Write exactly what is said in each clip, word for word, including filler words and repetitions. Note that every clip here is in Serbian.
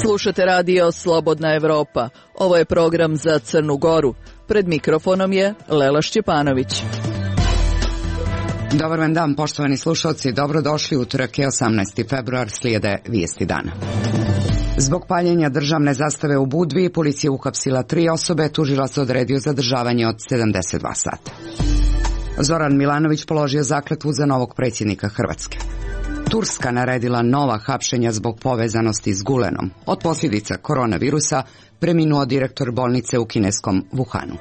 Slušate radio Slobodna Evropa. Ovo je program za Crnu Goru. Pred mikrofonom je Lela Šćepanović. Dobar vam dan, poštovani slušalci. Dobrodošli, utorak je osamnaesti februar, slijede vijesti dana. Zbog paljenja državne zastave u Budvi, policija uhapsila tri osobe, tužilac odredio zadržavanje od sedamdeset dva sata. Zoran Milanović položio zakletvu za novog predsjednika Hrvatske. Turska naredila nova hapšenja zbog povezanosti s Gulenom. Od posljedica koronavirusa preminuo direktor bolnice u kineskom Wuhanu.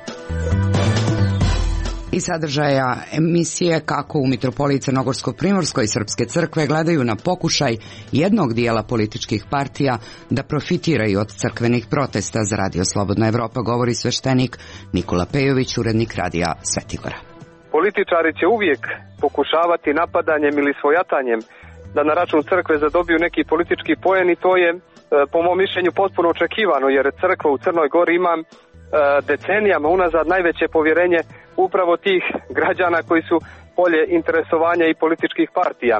I sadržaja emisije kako u mitropoliji Crnogorsko-Primorskoj srpske crkve gledaju na pokušaj jednog dijela političkih partija da profitiraju od crkvenih protesta. Za radio Slobodna Evropa govori sveštenik Nikola Pejović, urednik radija Svetigora. Političari će uvijek pokušavati napadanjem ili svojatanjem da na račun crkve zadobiju neki politički poen, i to je po mom mišljenju potpuno očekivano, jer crkva u Crnoj Gori ima decenijama unazad najveće povjerenje upravo tih građana koji su polje interesovanja i političkih partija.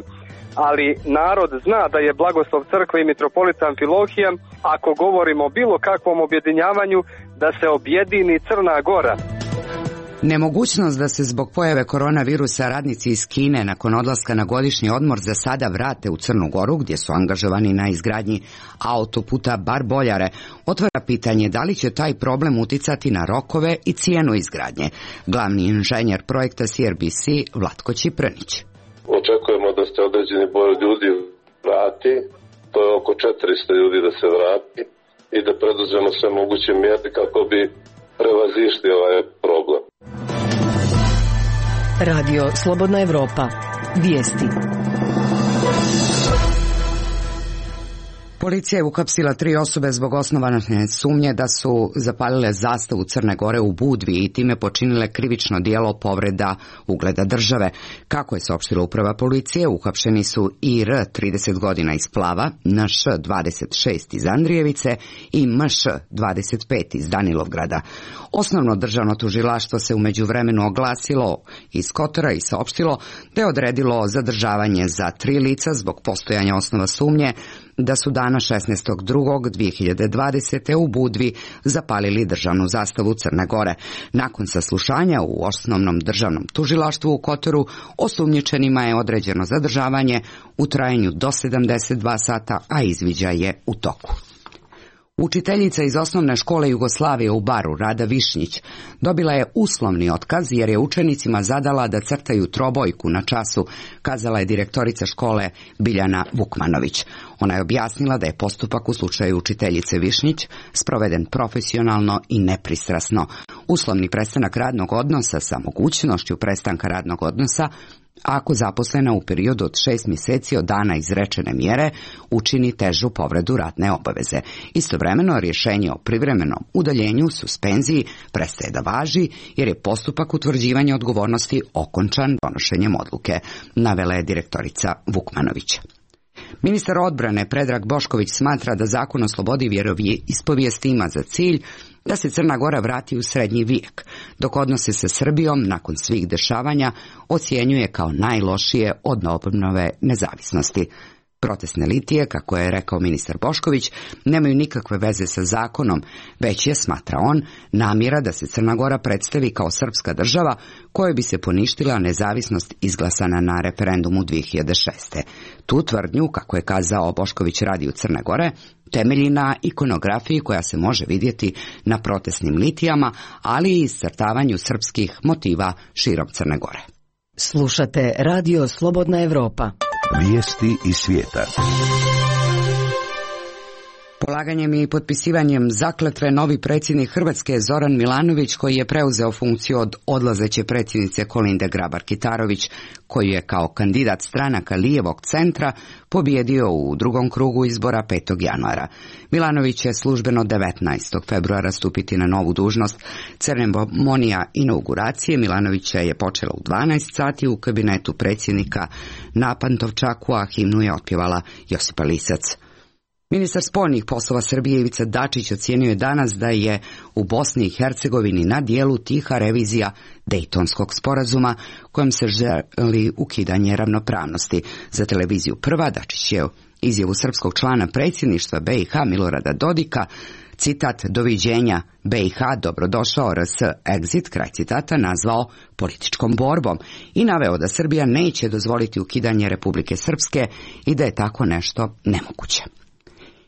Ali narod zna da je blagoslov crkve i mitropolita Amfilohija, ako govorimo o bilo kakvom objedinjavanju, da se objedini Crna Gora. Nemogućnost da se zbog pojave koronavirusa radnici iz Kine nakon odlaska na godišnji odmor za sada vrate u Crnu Goru, gdje su angažovani na izgradnji autoputa Bar-Boljare, otvara pitanje da li će taj problem uticati na rokove i cijenu izgradnje. Glavni inženjer projekta C R B C Vlatko Čipranić. Očekujemo da se određeni broj ljudi vrati, to je oko četiristo ljudi da se vrati, i da preduzmemo sve moguće mjere kako bi prevazišli ovaj problem. Radio Slobodna Evropa. Vijesti. Policija je uhapsila tri osobe zbog osnovane sumnje da su zapalile zastavu Crne Gore u Budvi i time počinile krivično djelo povreda ugleda države. Kako je saopštila uprava policije, uhapšeni su I R trideset godina iz Plava, N Š dvadeset šest iz Andrijevice i M Š dvadeset pet iz Danilovgrada. Osnovno državno tužilaštvo se u međuvremenu oglasilo iz Kotora i saopštilo da je odredilo zadržavanje za tri lica zbog postojanja osnova sumnje da su dana šesnaestog drugog dvije hiljade dvadesete. u Budvi zapalili državnu zastavu Crne Gore. Nakon saslušanja u osnovnom državnom tužilaštvu u Kotoru, osumnjičenima je određeno zadržavanje u trajanju do sedamdeset dva sata, a izviđaj je u toku. Učiteljica iz osnovne škole Jugoslavije u Baru, Rada Višnjić, dobila je uslovni otkaz jer je učenicima zadala da crtaju trobojku na času, kazala je direktorica škole Biljana Vukmanović. Ona je objasnila da je postupak u slučaju učiteljice Višnjić sproveden profesionalno i nepristrasno. Uslovni prestanak radnog odnosa sa mogućnošću prestanka radnog odnosa ako zaposlena u periodu od šest mjeseci od dana izrečene mjere učini težu povredu radne obaveze. Istovremeno, rješenje o privremenom udaljenju, suspenziji, prestaje da važi jer je postupak utvrđivanja odgovornosti okončan donošenjem odluke, navela je direktorica Vukmanović. Ministar odbrane Predrag Bošković smatra da zakon o slobodi vjeroispovijesti ima za cilj da se Crna Gora vrati u srednji vijek, dok odnose sa Srbijom nakon svih dešavanja ocjenjuje kao najlošije od obnove nezavisnosti. Protestne litije, kako je rekao ministar Bošković, nemaju nikakve veze sa zakonom, već je, smatra on, namjera da se Crna Gora predstavi kao srpska država kojoj bi se poništila nezavisnost izglasana na referendumu dvije hiljade šeste. Tu tvrdnju, kako je kazao Bošković radiju Crne Gore, temelji na ikonografiji koja se može vidjeti na protestnim litijama, ali i iscrtavanju srpskih motiva širom Crne Gore. Slušate radio Slobodna Evropa. Vijesti iz svijeta. Polaganjem i potpisivanjem zakletve novi predsjednik Hrvatske Zoran Milanović, koji je preuzeo funkciju od odlazeće predsjednice Kolinde Grabar-Kitarović, koju je kao kandidat stranaka lijevog centra pobijedio u drugom krugu izbora petog januara. Milanović će službeno devetnaestog februara stupiti na novu dužnost. Ceremonija inauguracije Milanovića je počela u dvanaest sati u kabinetu predsjednika na Pantovčaku, a himnu je otpjevala Josipa Lisac. Ministar spoljnih poslova Srbije Ivica Dačić ocijenio je danas da je u Bosni i Hercegovini na dijelu tiha revizija Dejtonskog sporazuma kojom se želi ukidanje ravnopravnosti. Za televiziju Prva Dačić je izjavu srpskog člana predsjedništva B i H Milorada Dodika, citat doviđenja B i H, dobrodošao R S exit, kraj citata, nazvao političkom borbom i naveo da Srbija neće dozvoliti ukidanje Republike Srpske i da je tako nešto nemoguće.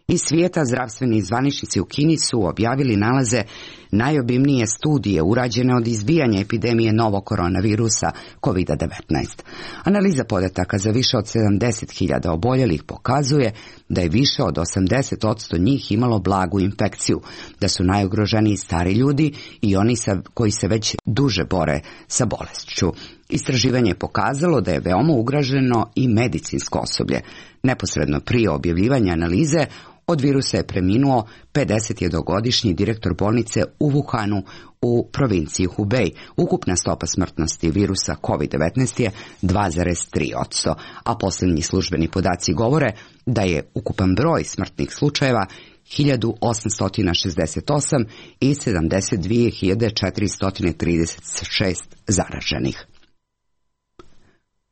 Iz svijeta zdravstveni zvaničnici u Kini su objavili nalaze najobimnije studije urađene od izbijanja epidemije novog koronavirusa kovid devetnaest. Analiza podataka za više od sedamdeset hiljada oboljelih pokazuje da je više od osamdeset posto njih imalo blagu infekciju, da su najugroženiji stari ljudi i oni sa, koji se već duže bore sa bolešću. Istraživanje je pokazalo da je veoma ugroženo i medicinsko osoblje. Neposredno prije objavljivanja analize od virusa je preminuo pedesetjednogodišnji direktor bolnice u Wuhanu u provinciji Hubei. Ukupna stopa smrtnosti virusa kovid devetnaest je dva zarez tri posto, a posljednji službeni podaci govore da je ukupan broj smrtnih slučajeva hiljadu osamsto šezdeset osam i sedamdeset dvije hiljade četiristo trideset šest zaraženih.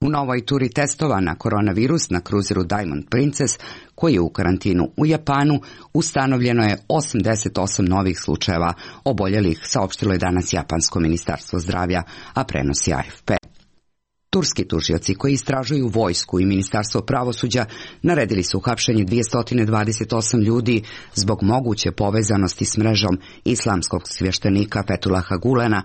U novoj turi testova na koronavirus na kruzeru Diamond Princess, koji je u karantinu u Japanu, ustanovljeno je osamdeset osam novih slučajeva oboljelih, saopštilo je danas Japansko ministarstvo zdravlja, a prenosi A F P. Turski tužioci koji istražuju vojsku i ministarstvo pravosuđa naredili su hapšenje dvjesto dvadeset osam ljudi zbog moguće povezanosti s mrežom islamskog svještenika Fethulaha Gulena,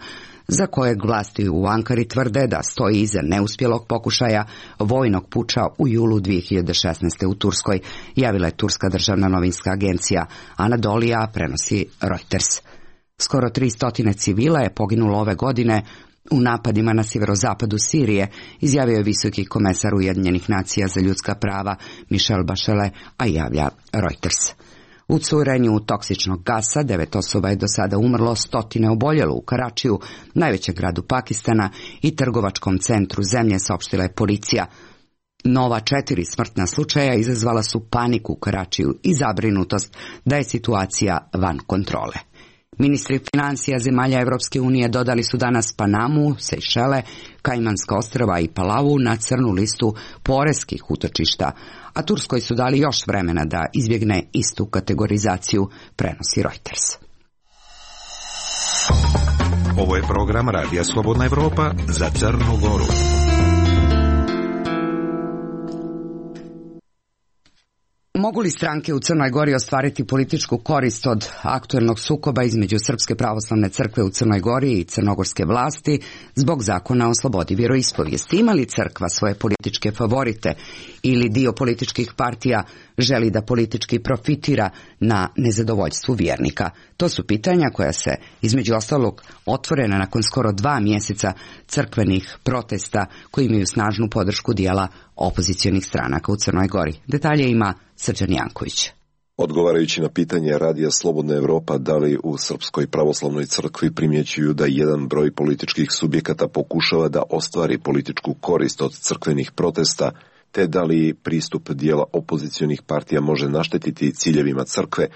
za kojeg vlasti u Ankari tvrde da stoji iza neuspjelog pokušaja vojnog puča u julu dvije hiljade šesnaeste. u Turskoj, javila je turska državna novinska agencija Anadolija, prenosi Reuters. Skoro tristo civila je poginulo ove godine u napadima na sjeverozapadu Sirije, izjavio je visoki komesar Ujedinjenih nacija za ljudska prava Michel Bachelet, a javlja Reuters. U curenju toksičnog gasa devet osoba je do sada umrlo, stotine oboljelo u Karačiju, najvećem gradu Pakistana i trgovačkom centru zemlje, saopštila je policija. Nova četiri smrtna slučaja izazvala su paniku u Karačiju i zabrinutost da je situacija van kontrole. Ministri financija zemalja Evropske unije dodali su danas Panamu, Sejšele, Kajmanska ostrva i Palavu na crnu listu poreskih utočišta, a Turskoj su dali još vremena da izbjegne istu kategorizaciju, prenosi Reuters. Ovo je program Radija Slobodna Evropa za Crnu Goru. Mogu li stranke u Crnoj Gori ostvariti političku korist od aktuelnog sukoba između Srpske pravoslavne crkve u Crnoj Gori i crnogorske vlasti zbog zakona o slobodi vjeroispovijesti? Ima li crkva svoje političke favorite ili dio političkih partija želi da politički profitira na nezadovoljstvu vjernika? To su pitanja koja se, između ostalog, otvorena nakon skoro dva mjeseca crkvenih protesta koji imaju snažnu podršku dijela opozicionih stranaka u Crnoj Gori. Detalje ima Srđan Janković. Odgovarajući na pitanje Radija Slobodna Evropa da li u Srpskoj pravoslavnoj crkvi primjećuju da jedan broj političkih subjekata pokušava da ostvari političku korist od crkvenih protesta, te da li pristup dijela opozicionih partija može naštetiti ciljevima crkve,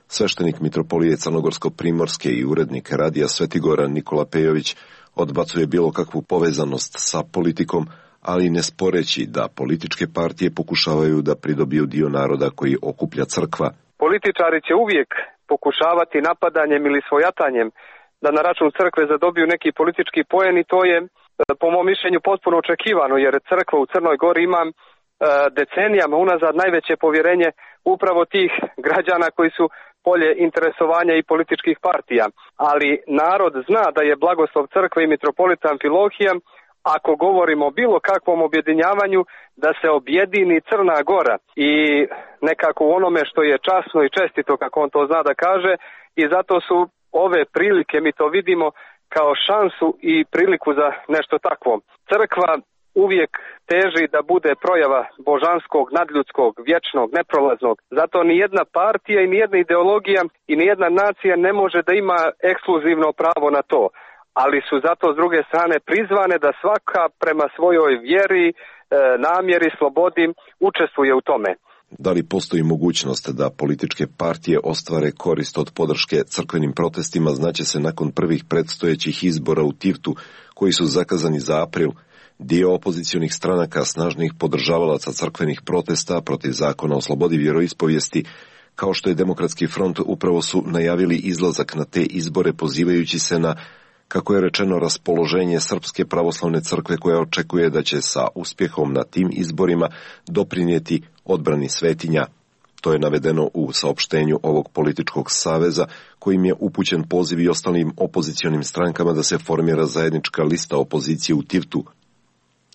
sveštenik mitropolije Crnogorsko-Primorske i urednik Radija Svetigora Nikola Pejović odbacuje bilo kakvu povezanost sa politikom, ali ne sporeći da političke partije pokušavaju da pridobiju dio naroda koji okuplja crkva. Političari će uvijek pokušavati napadanjem ili svojatanjem da na račun crkve zadobiju neki politički poen i to je po mom mišljenju potpuno očekivano, jer crkva u Crnoj Gori ima decenijama unazad najveće povjerenje upravo tih građana koji su polje interesovanja i političkih partija. Ali narod zna da je blagoslov crkve i mitropolita Amfilohija, ako govorimo o bilo kakvom objedinjavanju, da se objedini Crna Gora i nekako u onome što je časno i čestito, kako on to zna da kaže, i zato su ove prilike, mi to vidimo kao šansu i priliku za nešto takvo. Crkva uvijek teži da bude projava božanskog, nadljudskog, vječnog, neprolaznog. Zato ni jedna partija i ni jedna ideologija i ni jedna nacija ne može da ima ekskluzivno pravo na to. Ali su zato s druge strane prizvane da svaka prema svojoj vjeri, e, namjeri, slobodi učestvuje u tome. Da li postoji mogućnost da političke partije ostvare korist od podrške crkvenim protestima, znaće se nakon prvih predstojećih izbora u Tivtu, koji su zakazani za april. Dio opozicionih stranaka, snažnih podržavalaca crkvenih protesta protiv zakona o slobodi vjeroispovijesti, kao što je Demokratski front, upravo su najavili izlazak na te izbore pozivajući se na, kako je rečeno, raspoloženje Srpske pravoslavne crkve koja očekuje da će sa uspjehom na tim izborima doprinijeti odbrani svetinja. To je navedeno u saopštenju ovog političkog saveza, kojim je upućen poziv i ostalim opozicionim strankama da se formira zajednička lista opozicije u Tivtu.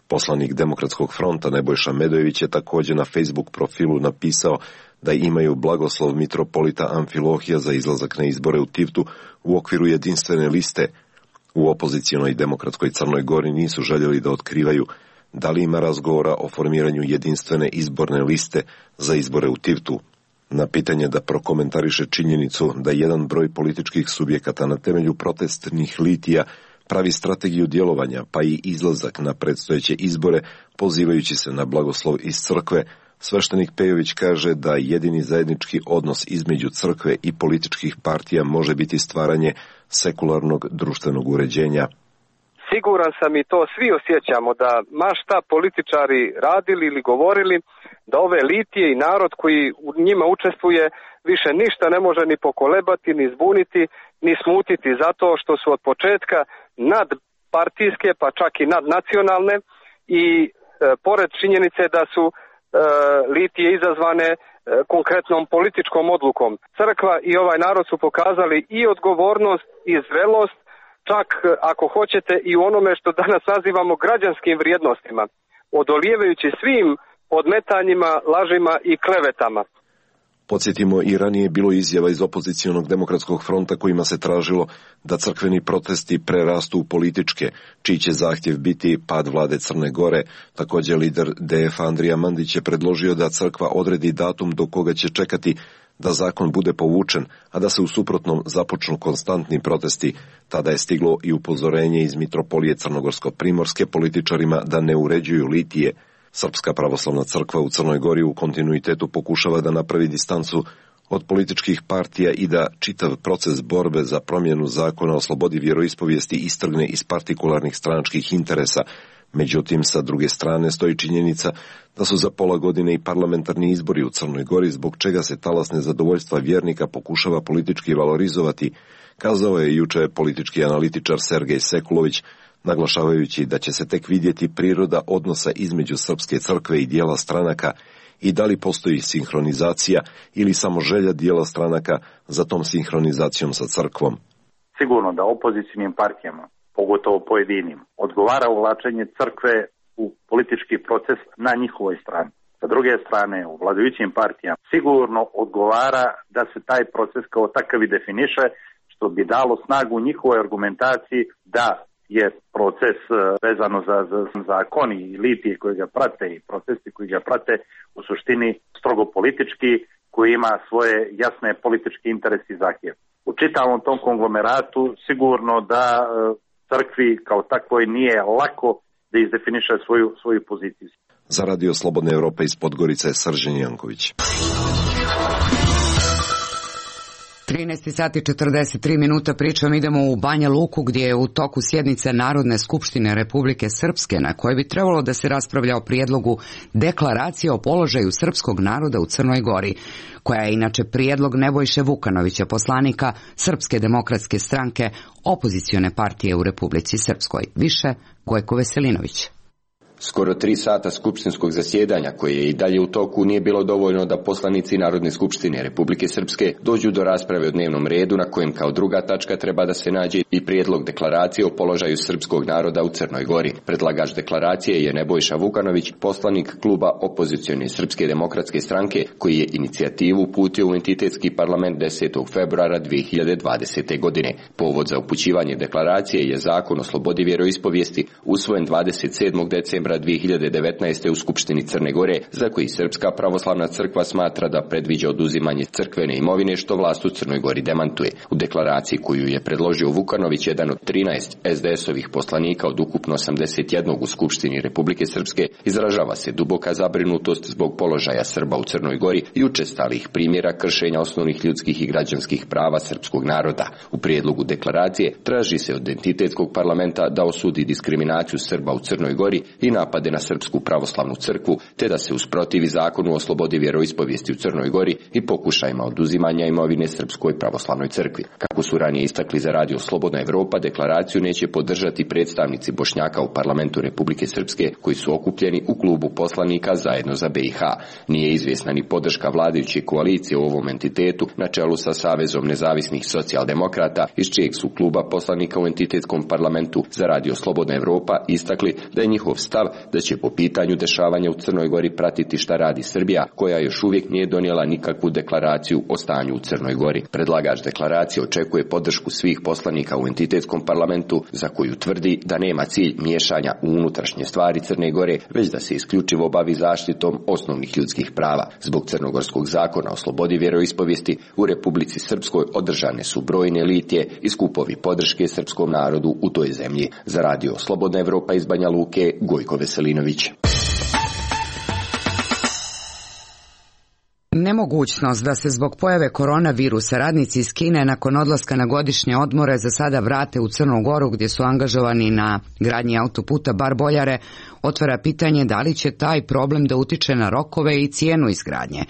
Poslanik Demokratskog fronta Nebojša Medojević je također na Facebook profilu napisao da imaju blagoslov mitropolita Amfilohija za izlazak na izbore u Tivtu u okviru jedinstvene liste. U opozicionoj demokratskoj Crnoj Gori nisu željeli da otkrivaju da li ima razgovora o formiranju jedinstvene izborne liste za izbore u Tivtu. Na pitanje da prokomentariše činjenicu da jedan broj političkih subjekata na temelju protestnih litija pravi strategiju djelovanja, pa i izlazak na predstojeće izbore, pozivajući se na blagoslov iz crkve, sveštenik Pejović kaže da jedini zajednički odnos između crkve i političkih partija može biti stvaranje sekularnog društvenog uređenja. Siguran sam i to svi osjećamo da ma šta političari radili ili govorili, da ove litije i narod koji u njima učestvuje više ništa ne može ni pokolebati, ni zbuniti, ni smutiti, zato što su od početka nadpartijske, pa čak i nadnacionalne i e, pored činjenice da su e, litije izazvane e, konkretnom političkom odlukom. Crkva i ovaj narod su pokazali i odgovornost i zrelost, čak ako hoćete i u onome što danas nazivamo građanskim vrijednostima, odolijevajući svim podmetanjima, lažima i klevetama. Podsjetimo, i ranije bilo izjava iz opozicionog Demokratskog fronta kojima se tražilo da crkveni protesti prerastu u političke, čiji će zahtjev biti pad vlade Crne Gore. Također lider D F Andrija Mandić je predložio da crkva odredi datum do koga će čekati da zakon bude povučen, a da se u suprotnom započnu konstantni protesti. Tada je stiglo i upozorenje iz mitropolije Crnogorsko-primorske političarima da ne uređuju litije. Srpska pravoslavna crkva u Crnoj Gori u kontinuitetu pokušava da napravi distancu od političkih partija i da čitav proces borbe za promjenu zakona o slobodi vjeroispovijesti istrgne iz partikularnih stranačkih interesa. Međutim, sa druge strane stoji činjenica da su za pola godine i parlamentarni izbori u Crnoj Gori, zbog čega se talas nezadovoljstva vjernika pokušava politički valorizovati, kazao je juče politički analitičar Sergej Sekulović, naglašavajući da će se tek vidjeti priroda odnosa između srpske crkve i dijela stranaka i da li postoji sinhronizacija ili samo želja dijela stranaka za tom sinhronizacijom sa crkvom. Sigurno da opozicijnim partijama, pogotovo pojedinim, odgovara uvlačenje crkve u politički proces na njihovoj strani. Sa druge strane, u vladajućim partijama sigurno odgovara da se taj proces kao takav i definiše, što bi dalo snagu njihovoj argumentaciji da je proces vezano za, za zakoni i litije koji ga prate i procesi koji ga prate u suštini strogo politički, koji ima svoje jasne političke interese i zahtjeve. U čitavom tom konglomeratu sigurno da crkvi kao takvoj nije lako da izdefiniše svoju, svoju poziciju. Za Radio Slobodne Evrope iz Podgorice je Srđan Janković. trinaest sati i četrdeset tri minuta pričom idemo u Banja Luku gdje je u toku sjednice Narodne skupštine Republike Srpske na kojoj bi trebalo da se raspravlja o prijedlogu deklaracije o položaju srpskog naroda u Crnoj Gori, koja je inače prijedlog Nebojše Vukanovića, poslanika Srpske demokratske stranke, opozicione partije u Republici Srpskoj. Više Gojko Veselinović. Skoro tri sata skupštinskog zasjedanja, koje je i dalje u toku, nije bilo dovoljno da poslanici Narodne skupštine Republike Srpske dođu do rasprave o dnevnom redu, na kojem kao druga tačka treba da se nađe i prijedlog deklaracije o položaju srpskog naroda u Crnoj Gori. Predlagač deklaracije je Nebojša Vukanović, poslanik kluba opozicione Srpske demokratske stranke, koji je inicijativu uputio u entitetski parlament desetog februara dvije hiljade dvadesete. godine. Povod za upućivanje deklaracije je zakon o slobodi vjeroispovijesti usvojen dvadeset sedmog decembra novembra dvije hiljade devetnaeste. u Skupštini Crne Gore, za koji Srpska pravoslavna crkva smatra da predviđa oduzimanje crkvene imovine, što vlast u Crnoj Gori demantuje. U deklaraciji koju je predložio Vukanović, jedan od trinaest es de esovih poslanika od ukupno osamdeset jednog u Skupštini Republike Srpske, izražava se duboka zabrinutost zbog položaja Srba u Crnoj Gori i učestalih primjera kršenja osnovnih ljudskih i građanskih prava srpskog naroda. U prijedlogu deklaracije traži se od entitetskog parlamenta da osudi diskriminaciju Srba u Crnoj Gori i napade na Srpsku pravoslavnu crkvu, te da se usprotivi zakonu o slobodi vjeroispovijesti u Crnoj Gori i pokušajima oduzimanja imovine Srpskoj pravoslavnoj crkvi. Kako su ranije istakli za radio Slobodna Evropa, deklaraciju neće podržati predstavnici Bošnjaka u parlamentu Republike Srpske, koji su okupljeni u klubu poslanika Zajedno za be i ha. Nije izvjesna ni podrška vladajuće koalicije u ovom entitetu na čelu sa Savezom nezavisnih socijaldemokrata, iz čijeg su kluba poslanika u entitetskom parlamentu za radio Slobodna Evropa istakli da je njihov stav da će po pitanju dešavanja u Crnoj Gori pratiti šta radi Srbija, koja još uvijek nije donijela nikakvu deklaraciju o stanju u Crnoj Gori. Predlagač deklaracije očekuje podršku svih poslanika u entitetskom parlamentu, za koju tvrdi da nema cilj miješanja u unutrašnje stvari Crne Gore, već da se isključivo bavi zaštitom osnovnih ljudskih prava. Zbog crnogorskog zakona o slobodi vjeroispovijesti u Republici Srpskoj održane su brojne litije i skupovi podrške srpskom narodu u toj zemlji. Za radio Slobodna Evropa iz Banja Luke, Gojko Veselinović. Nemogućnost da se zbog pojave koronavirusa radnici iz Kine nakon odlaska na godišnje odmore za sada vrate u Crnu Goru, gdje su angažovani na gradnji autoputa Bar-Boljare, otvara pitanje da li će taj problem da utiče na rokove i cijenu izgradnje.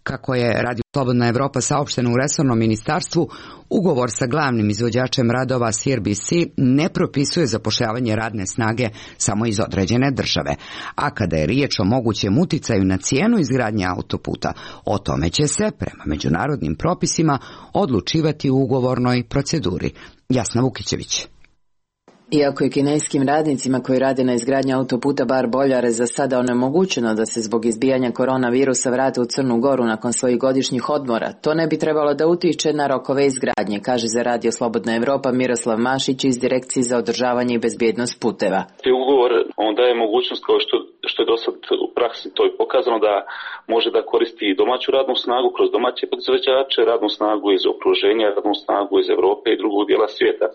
Kako je radio Slobodna Evropa saopšteno u resornom ministarstvu, ugovor sa glavnim izvođačem radova C R B C ne propisuje zapošljavanje radne snage samo iz određene države. A kada je riječ o mogućem uticaju na cijenu izgradnje autoputa, o tome će se, prema međunarodnim propisima, odlučivati u ugovornoj proceduri. Jasna Vukićević. Iako je kineskim radnicima koji rade na izgradnji autoputa Bar-Boljare za sada onemogućeno da se zbog izbijanja koronavirusa vrate u Crnu Goru nakon svojih godišnjih odmora, to ne bi trebalo da utiče na rokove izgradnje, kaže za radio Slobodna Evropa Miroslav Mašić iz Direkcije za održavanje i bezbjednost puteva. Ugovor on daje mogućnost, kao što, što je do sad u praksi to je pokazano, da može da koristi domaću radnu snagu kroz domaće podizvođače, radnu snagu iz okruženja, radnu snagu iz Europe i drugog dijela svijeta.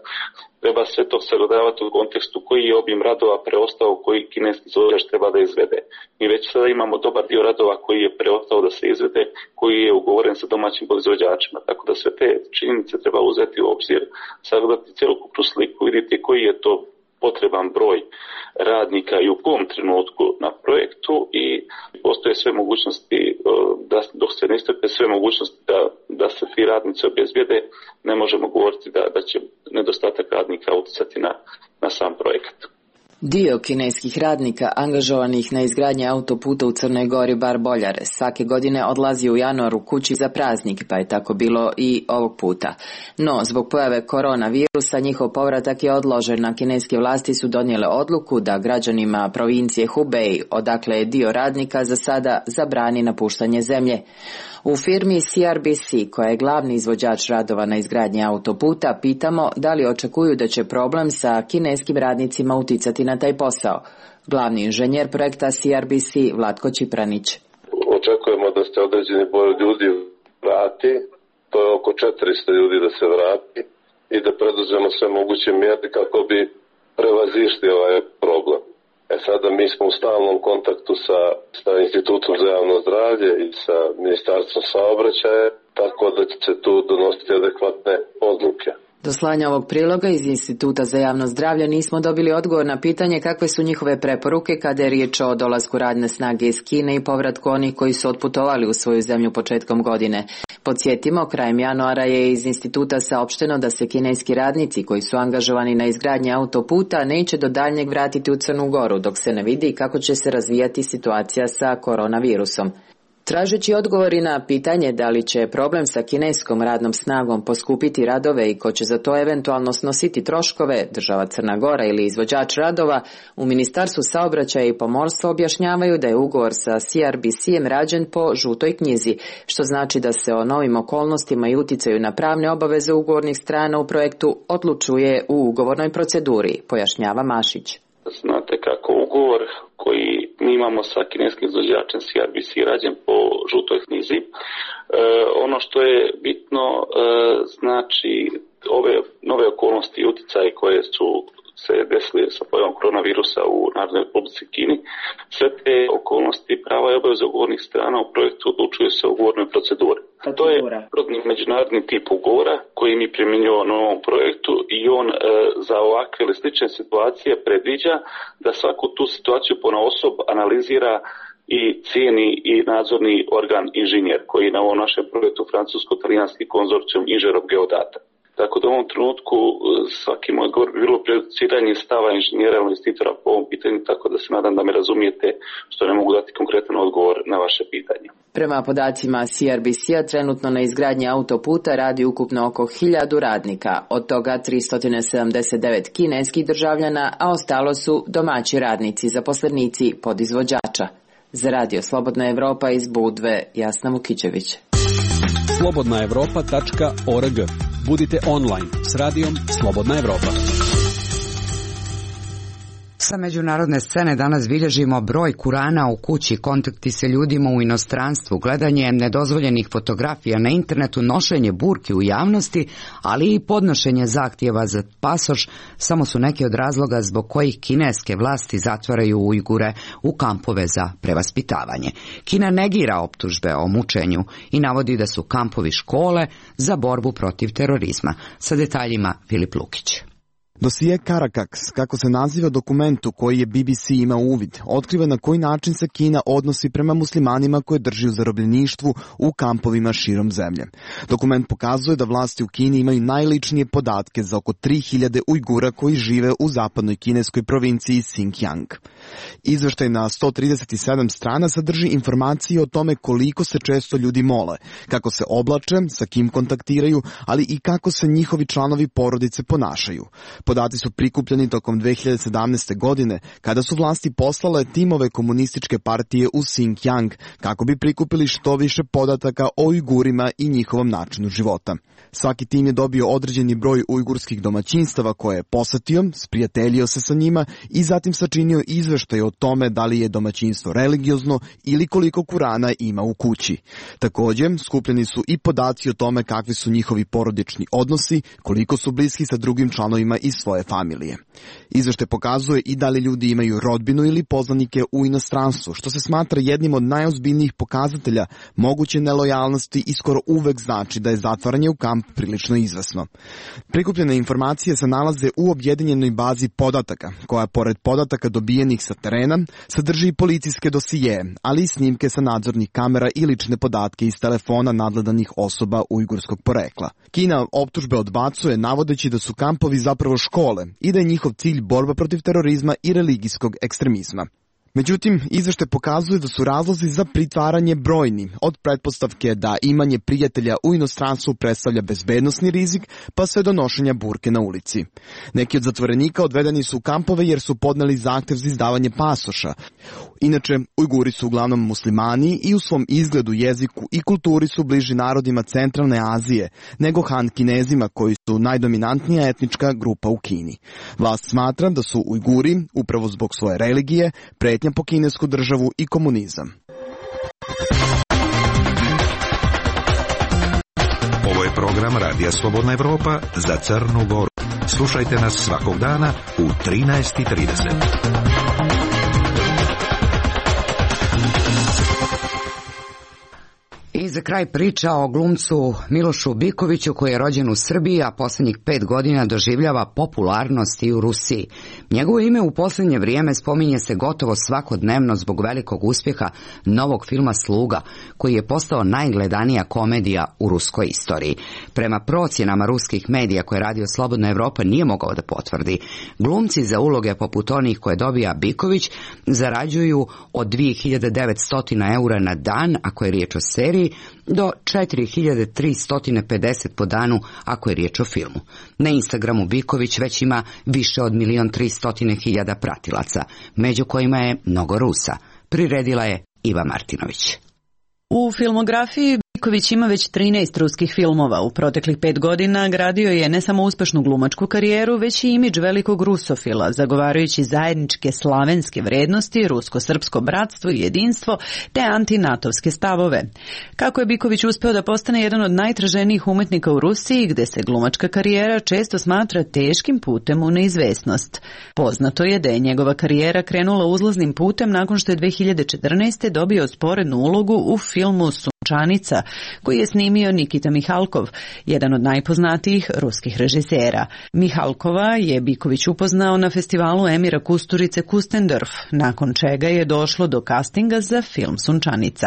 Treba sve to sagledavati u kontekstu koji je obim radova preostao, koji kineski izvođač treba da izvede. Mi već sada imamo dobar dio radova koji je preostao da se izvede, koji je ugovoren sa domaćim podizvođačima. Tako da sve te činjenice treba uzeti u obzir, sagledati cjelokupnu sliku, vidjeti koji je to potreban broj radnika i u kom trenutku na projektu, i postoje sve mogućnosti, da, dok se ne iscrpe sve mogućnosti da, da se ti radnici obezbijede, ne možemo govoriti da, da će nedostatak radnika utjecati na, na sam projekat. Dio kineskih radnika angažovanih na izgradnji autoputa u Crnoj Gori Bar-Boljare svake godine odlazi u januaru kući za praznik, pa je tako bilo i ovog puta. No, zbog pojave koronavirusa njihov povratak je odložen, a kineske vlasti su donijele odluku da građanima provincije Hubei, odakle je dio radnika, za sada zabrani napuštanje zemlje. U firmi C R B C, koja je glavni izvođač radova na izgradnji autoputa, pitamo da li očekuju da će problem sa kineskim radnicima uticati na taj posao. Glavni inženjer projekta C R B C Vlatko Čipranić. Očekujemo da se određeni broj ljudi vrati, to je oko četiristo ljudi da se vrati, i da preduzmemo sve moguće mjere kako bi prevazišli ovaj problem. E sada mi smo u stalnom kontaktu sa, sa Institutom za javno zdravlje i sa Ministarstvom saobraćaja, tako da će se tu donositi adekvatne odluke. Do slanja ovog priloga iz Instituta za javno zdravlje nismo dobili odgovor na pitanje kakve su njihove preporuke kada je riječ o dolasku radne snage iz Kine i povratku onih koji su otputovali u svoju zemlju početkom godine. Podsjetimo, krajem januara je iz instituta saopšteno da se kineski radnici koji su angažovani na izgradnji autoputa neće do daljnjeg vratiti u Crnu Goru, dok se ne vidi kako će se razvijati situacija sa koronavirusom. Tražeći odgovori na pitanje da li će problem sa kineskom radnom snagom poskupiti radove i ko će za to eventualno snositi troškove, država Crna Gora ili izvođač radova, u Ministarstvu saobraćaja i pomorstva objašnjavaju da je ugovor sa C R B C-em rađen po žutoj knjizi, što znači da se o novim okolnostima i uticaju na pravne obaveze ugovornih strana u projektu odlučuje u ugovornoj proceduri, pojašnjava Mašić. Znate kako u ugovor koji mi imamo sa kineskim izvođačem C R B C rađen po žutoj knjizi. E, ono što je bitno, e, znači ove nove okolnosti i utjecaje koje su se desili sa pojavom koronavirusa u Narodnoj Republici Kini, sve te okolnosti, prava i obaveze ugovornih strana u projektu odlučuju se u ugovornoj proceduri. To je međunarodni tip ugovora koji mi primjenjujemo na ovom projektu i on e, za ovakve ili slične situacije predviđa da svaku tu situaciju ponaosob analizira i cijeni i nadzorni organ inženjer koji na ovom našem projektu francusko-talijanski konzorcijum inženjerov geodata. Tako da u ovom trenutku svaki moj govor bi bilo prejudiciranje stava inženjera ili investitora po ovom pitanju, tako da se nadam da me razumijete što ne mogu dati konkretan odgovor na vaše pitanje. Prema podacima C R B C-a trenutno na izgradnji autoputa radi ukupno oko hiljadu radnika, od toga tristo sedamdeset devet kineskih državljana, a ostalo su domaći radnici, zaposlenici podizvođača. Za Radio Slobodna Evropa iz Budve, Jasna Vukićević. slobodna evropa tačka org. Budite online s radijom Slobodna Evropa. Sa međunarodne scene danas bilježimo broj Kurana u kući, kontakti sa ljudima u inostranstvu, gledanje nedozvoljenih fotografija na internetu, nošenje burki u javnosti, ali i podnošenje zahtjeva za pasoš samo su neki od razloga zbog kojih kineske vlasti zatvaraju Ujgure u kampove za prevaspitavanje. Kina negira optužbe o mučenju i navodi da su kampovi škole za borbu protiv terorizma. Sa detaljima Filip Lukić. Dosije Karakaks, kako se naziva dokumentu koji je B B C imao uvid, otkriva na koji način se Kina odnosi prema muslimanima koje drži u zarobljeništvu u kampovima širom zemlje. Dokument pokazuje da vlasti u Kini imaju najličnije podatke za oko tri hiljade Ujgura koji žive u zapadnoj kineskoj provinciji Xinjiang. Izveštaj na sto trideset sedam strana sadrži informacije o tome koliko se često ljudi mole, kako se oblače, sa kim kontaktiraju, ali i kako se njihovi članovi porodice ponašaju. Podaci su prikupljeni tokom dve hiljade sedamnaeste. godine, kada su vlasti poslale timove komunističke partije u Xinjiang kako bi prikupili što više podataka o Ujgurima i njihovom načinu života. Svaki tim je dobio određeni broj ujgurskih domaćinstava koje je posetio, sprijateljio se sa njima i zatim sačinio izveštaj o tome da li je domaćinstvo religiozno ili koliko Kurana ima u kući. Također, skupljeni su i podaci o tome kakvi su njihovi porodični odnosi, koliko su bliski sa drugim članovima iz svoje familije. Izveštaj pokazuje i da li ljudi imaju rodbinu ili poznanike u inostranstvu, što se smatra jednim od najozbiljnijih pokazatelja moguće nelojalnosti i skoro uvek znači da je zatvaranje u kamp prilično izvesno. Prikupljene informacije se nalaze u objedinjenoj bazi podataka, koja pored podataka dobijenih sa terena sadrži i policijske dosije, ali i snimke sa nadzornih kamera i lične podatke iz telefona nadgledanih osoba ujgurskog porekla. Kina optužbe odbacuje navodeći da su kampovi zapravo škole i da je njihov cilj borba protiv terorizma i religijskog ekstremizma. Međutim, izveštaj pokazuje da su razlozi za pritvaranje brojni, od pretpostavke da imanje prijatelja u inostranstvu predstavlja bezbednosni rizik, pa sve do nošenja burke na ulici. Neki od zatvorenika odvedeni su u kampove jer su podneli zahtev za izdavanje pasoša. Inače, Ujguri su uglavnom muslimani i u svom izgledu, jeziku i kulturi su bliži narodima centralne Azije, nego Han Kinezima koji su najdominantnija etnička grupa u Kini. Vlast smatra da su Ujguri, upravo zbog svoje religije, pretnja po kinesku državu i komunizam. Ovo je program Radija Slobodna Evropa za Crnu Goru. Slušajte nas svakog dana u trinaest i trideset. I za kraj priča o glumcu Milošu Bikoviću koji je rođen u Srbiji, a posljednjih pet godina doživljava popularnost i u Rusiji. Njegovo ime u posljednje vrijeme spominje se gotovo svakodnevno zbog velikog uspjeha novog filma Sluga, koji je postao najgledanija komedija u ruskoj istoriji. Prema procjenama ruskih medija koje Radio Slobodna Evropa nije mogao da potvrdi, glumci za uloge poput onih koje dobija Biković zarađuju od dvije hiljade devetsto eura na dan, ako je riječ o seriji, do četiri hiljade tristo pedeset po danu ako je riječ o filmu. Na Instagramu Biković već ima više od milion tristo hiljada pratilaca, među kojima je mnogo Rusa. Priredila je Iva Martinović. U filmografiji Biković ima već trinaest ruskih filmova. U proteklih pet godina gradio je ne samo uspešnu glumačku karijeru, već i imidž velikog rusofila, zagovarajući zajedničke slavenske vrednosti, rusko-srpsko bratstvo i jedinstvo, te antinatovske stavove. Kako je Biković uspeo da postane jedan od najtraženijih umetnika u Rusiji, gde se glumačka karijera često smatra teškim putem u neizvesnost. Poznato je da je njegova karijera krenula uzlaznim putem nakon što je dve hiljade četrnaeste. dobio sporednu ulogu u filmu Sunčanica, koji je snimio Nikita Mihalkov, jedan od najpoznatijih ruskih režisera. Mihalkova je Biković upoznao na festivalu Emira Kusturice Kustendorf, nakon čega je došlo do castinga za film Sunčanica.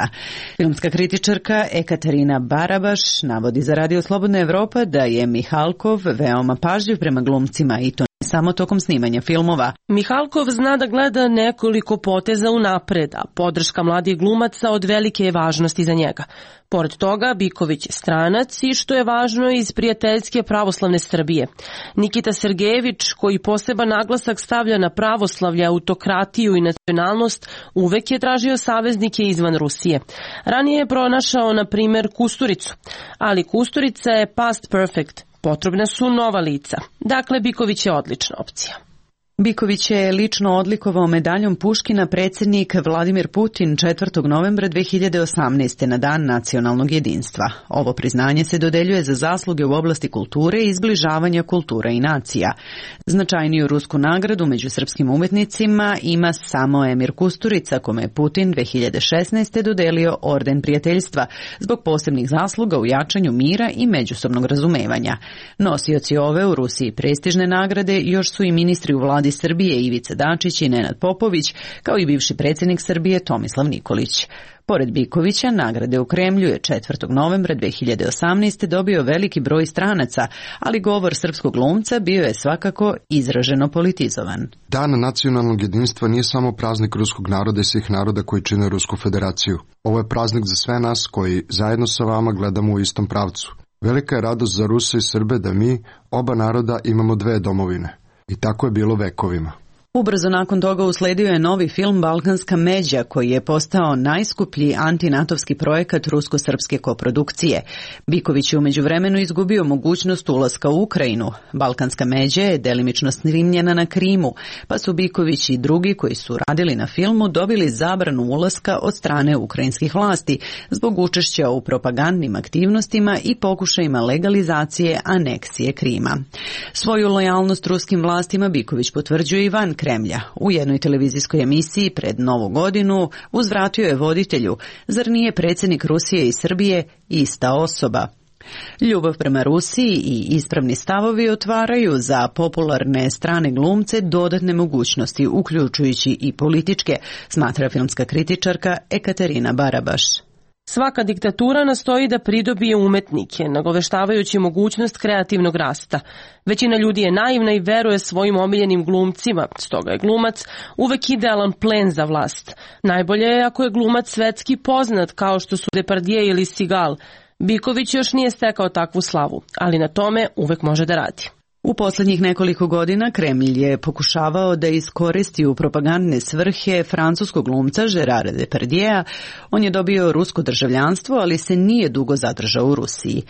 Filmska kritičarka Ekaterina Barabaš navodi za Radio Slobodna Evropa da je Mihalkov veoma pažljiv prema glumcima i to samo tokom snimanja filmova. Mihalkov zna da gleda nekoliko poteza unapred, a podrška mladih glumaca od velike je važnosti za njega. Pored toga, Biković je stranac i, što je važno, iz prijateljske pravoslavne Srbije. Nikita Sergejević, koji poseban naglasak stavlja na pravoslavlje, autokratiju i nacionalnost, uvek je tražio saveznike izvan Rusije. Ranije je pronašao, na primer, Kusturicu, ali Kusturica je past perfect. Potrebna su nova lica. Dakle, Biković je odlična opcija. Biković je lično odlikovao medaljom Puškina predsjednik Vladimir Putin četvrtog novembra dve hiljade osamnaeste. na Dan nacionalnog jedinstva. Ovo priznanje se dodeljuje za zasluge u oblasti kulture i izbližavanja kultura i nacija. Značajniju rusku nagradu među srpskim umetnicima ima samo Emir Kusturica, kome je Putin dve hiljade šesnaeste. dodelio orden prijateljstva zbog posebnih zasluga u jačanju mira i međusobnog razumevanja. Nosioci ove u Rusiji prestižne nagrade još su i ministri u vladi Srbije Ivica Dačić i Nenad Popović, kao i bivši predsjednik Srbije Tomislav Nikolić. Pored Bikovića, nagrade u Kremlju je četvrtog novembra dve hiljade osamnaeste. dobio veliki broj stranaca, ali govor srpskog glumca bio je svakako izraženo politizovan. Dan nacionalnog jedinstva nije samo praznik ruskog naroda i svih naroda koji čine Rusku federaciju. Ovo je praznik za sve nas koji zajedno sa vama gledamo u istom pravcu. Velika je radost za Ruse i Srbe da mi, oba naroda, imamo dve domovine. I tako je bilo vekovima. Ubrzo nakon toga usledio je novi film Balkanska međa, koji je postao najskuplji antinatovski projekat rusko-srpske koprodukcije. Biković je u međuvremenu izgubio mogućnost ulaska u Ukrajinu. Balkanska međa je delimično snimljena na Krimu, pa su Biković i drugi koji su radili na filmu dobili zabranu ulaska od strane ukrajinskih vlasti zbog učešća u propagandnim aktivnostima i pokušajima legalizacije aneksije Krima. Svoju lojalnost ruskim vlastima Biković potvrđuje i van Kremlja. U jednoj televizijskoj emisiji pred Novu godinu uzvratio je voditelju: zar nije predsjednik Rusije i Srbije ista osoba? Ljubav prema Rusiji i ispravni stavovi otvaraju za popularne strane glumce dodatne mogućnosti, uključujući i političke, smatra filmska kritičarka Ekaterina Barabaš. Svaka diktatura nastoji da pridobije umetnike, nagoveštavajući mogućnost kreativnog rasta. Većina ljudi je naivna i veruje svojim omiljenim glumcima, stoga je glumac uvek idealan plen za vlast. Najbolje je ako je glumac svetski poznat, kao što su Depardieu ili Seagal. Biković još nije stekao takvu slavu, ali na tome uvek može da radi. U posljednjih nekoliko godina Kremlj je pokušavao da iskoristi u propagandne svrhe francuskog glumca Gerarda Depardieu. On je dobio rusko državljanstvo, ali se nije dugo zadržao u Rusiji.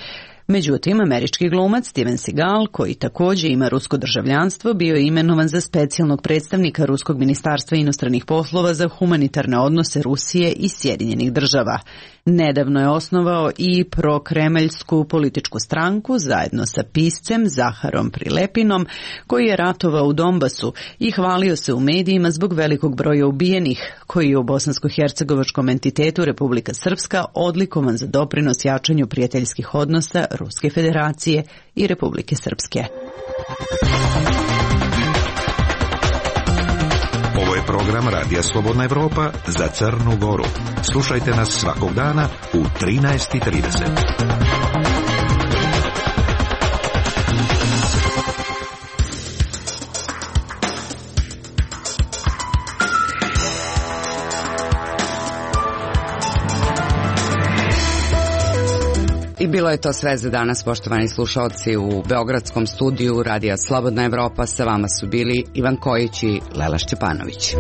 Međutim, američki glumac Steven Seagal, koji također ima rusko državljanstvo, bio je imenovan za specijalnog predstavnika Ruskog ministarstva inostranih poslova za humanitarne odnose Rusije i Sjedinjenih država. Nedavno je osnovao i prokremeljsku političku stranku zajedno sa piscem Zaharom Prilepinom, koji je ratovao u Donbasu i hvalio se u medijima zbog velikog broja ubijenih, koji je u bosansko-hercegovačkom entitetu Republika Srpska odlikovan za doprinos jačanju prijateljskih odnosa Ruske federacije i Republike Srpske. Ovo je program Radija Slobodna Evropa za Crnu Goru. Slušajte nas svakog dana u trinaest i trideset. I bilo je to sve za danas, poštovani slušalci. U beogradskom studiju Radija Slobodna Evropa sa vama su bili Ivan Kojić i Lela Šćepanović.